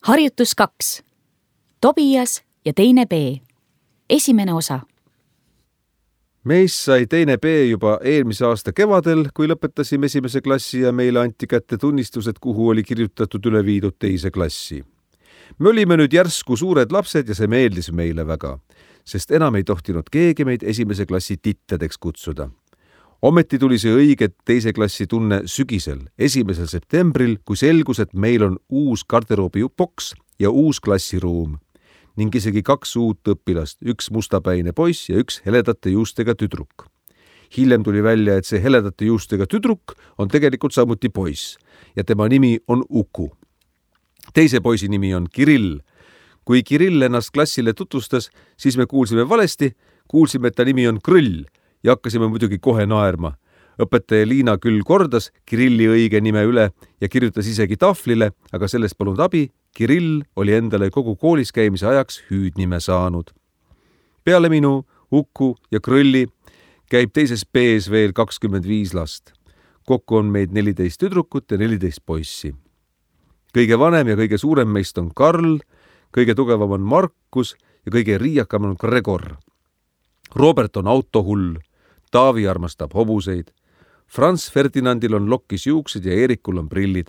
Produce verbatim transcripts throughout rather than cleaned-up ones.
Harjutus kaks. Tobias ja teine B. Esimene osa. Meist sai teine B juba eelmise aasta kevadel, kui lõpetasime esimese klassi ja meile anti kätte tunnistused, kuhu oli kirjutatud üle viidud teise klassi. Me olime nüüd järsku suured lapsed ja see meeldis meile väga, sest enam ei tohtinud keegi meid esimese klassi tittedeks kutsuda. Ometi tuli see õige teise klassi tunne sügisel, esimesel septembril, kui selgus, et meil on uus garderoobi boks ja uus klassiruum ning isegi kaks uut õpilast, üks mustapäine poiss ja üks heledate juustega tüdruk. Hiljem tuli välja, et see heledate juustega tüdruk on tegelikult samuti poiss ja tema nimi on Uku. Teise poisi nimi on Kirill. Kui Kirill ennast klassile tutvustas, siis me kuulsime valesti, kuulsime, et ta nimi on Krõll ja hakkasime muidugi kohe naerma. Õpetaja Liina küll kordas Kirilli õige nime üle ja kirjutas isegi tahvlile, aga sellest polnud abi. Kirill oli endale kogu koolis käimise ajaks hüüdnime saanud. Peale minu, Uku ja Krõlli käib teises B-s veel kakskümmend viis last. Kokku on meid neliteist tüdrukut ja neliteist poissi. Kõige vanem ja kõige suurem meist on Karl, kõige tugevam on Markus ja kõige riiakam on Gregor. Robert on autohull, Taavi armastab hobuseid, Franz Ferdinandil on lokkis juuksed ja Eerikul on prillid.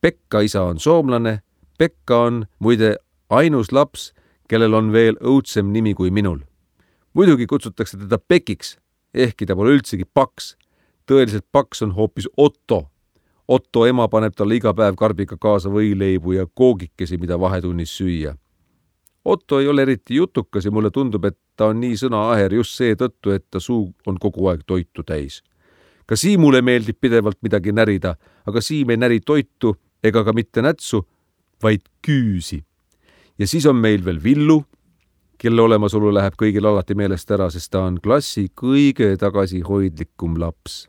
Pekka isa on soomlane, Pekka on muide ainus laps, kellel on veel õudsem nimi kui minul. Muidugi kutsutakse teda Pekiks, ehkki ta pole üldsegi paks. Tõeliselt paks on hoopis Otto. Otto ema paneb talle iga päev karbiga kaasa võileibu ja koogikesi, mida vahetunnis süüa. Otto ei ole eriti jutukas ja mulle tundub, et ta on nii sõnaaher just see tõttu, et ta suu on kogu aeg toitu täis. Ka Siimule meeldib pidevalt midagi närida, aga Siim ei näri toitu ega ka mitte nätsu, vaid küüsi. Ja siis on meil veel Villu, kelle olemasolu läheb kõigil alati meelest ära, sest ta on klassi kõige tagasihoidlikum laps.